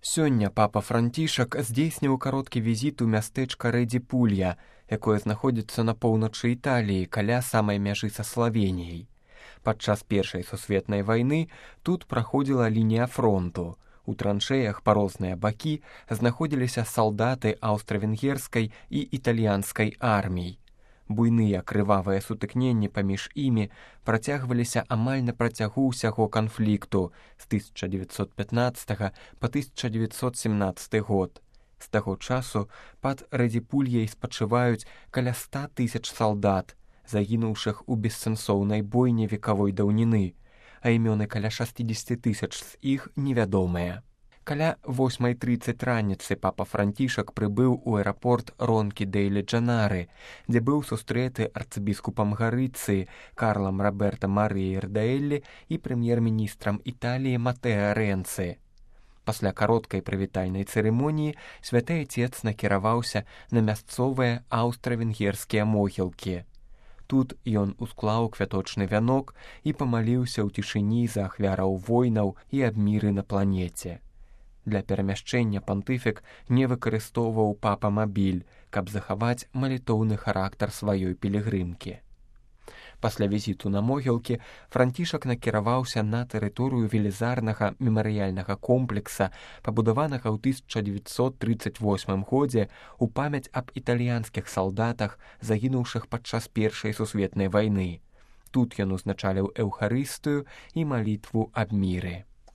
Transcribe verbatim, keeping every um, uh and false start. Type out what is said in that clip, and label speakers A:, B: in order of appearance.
A: Сёння папа Францішак здзейсніў кароткі візіт у мястэчка Рэдзі-Пулья, якое знаходзіцца на поўначы Італіі каля самай мяжы са Славеніяй. Падчас Першай сусветнай вайны тут праходзіла лінія фронту. У траншэях па розныя бакі знаходзіліся салдаты аўстра-венгерскай і італьянскай армій. Буйныя крывавыя сутыкненні паміж імі працягваліся амаль на працягу ўсяго канфлікту з тысяча дзевяцьсот пятнаццатага па тысяча дзевяцьсот семнаццаты год. З таго часу пад Рэдзі-Пульяй спачываюць каля ста тысяч салдат, загінуўшых у бессэнсоўнай бойні векавой даўніны, а імёны каля шэсцьдзесят тысяч з іх невядомыя. Каля восьмай трыццаць раніцы папа Францішак прыбыў у аэрапорт Ронкі-дейлі-Джанары, дзе быў сустрэты арцыбіскупам Гарыцыі Карлам Роберта Марыяй Рдаэллі і прэм'ер-міністрам Італіі Матэа Рэнцы. Пасля кароткай прывітальнай цырымоніі святы Ацец накіраваўся на мясцовыя аўстра-венгерскія могілкі. Тут ён усклаў квяточны вянок і памаліўся ў цішыні за ахвяраў войнаў і аб міры на планеце. Для перамяшчэння пантыфік не выкарыстоўваў папа-мабіль, каб захаваць малітоўны характар сваёй пілігрымкі. Пасля візіту на могілкі Францішак накіраваўся на тэрыторыю велізарнага мемарыяльнага комплекса, пабудаванага ў тысяча дзевяцьсот трыццаць восьмым годзе ў памяць аб італьянскіх салдатах, загінуўшых падчас Першай сусветнай вайны. Тут ён узначаліў эўхарыстыю і малітву аб міры.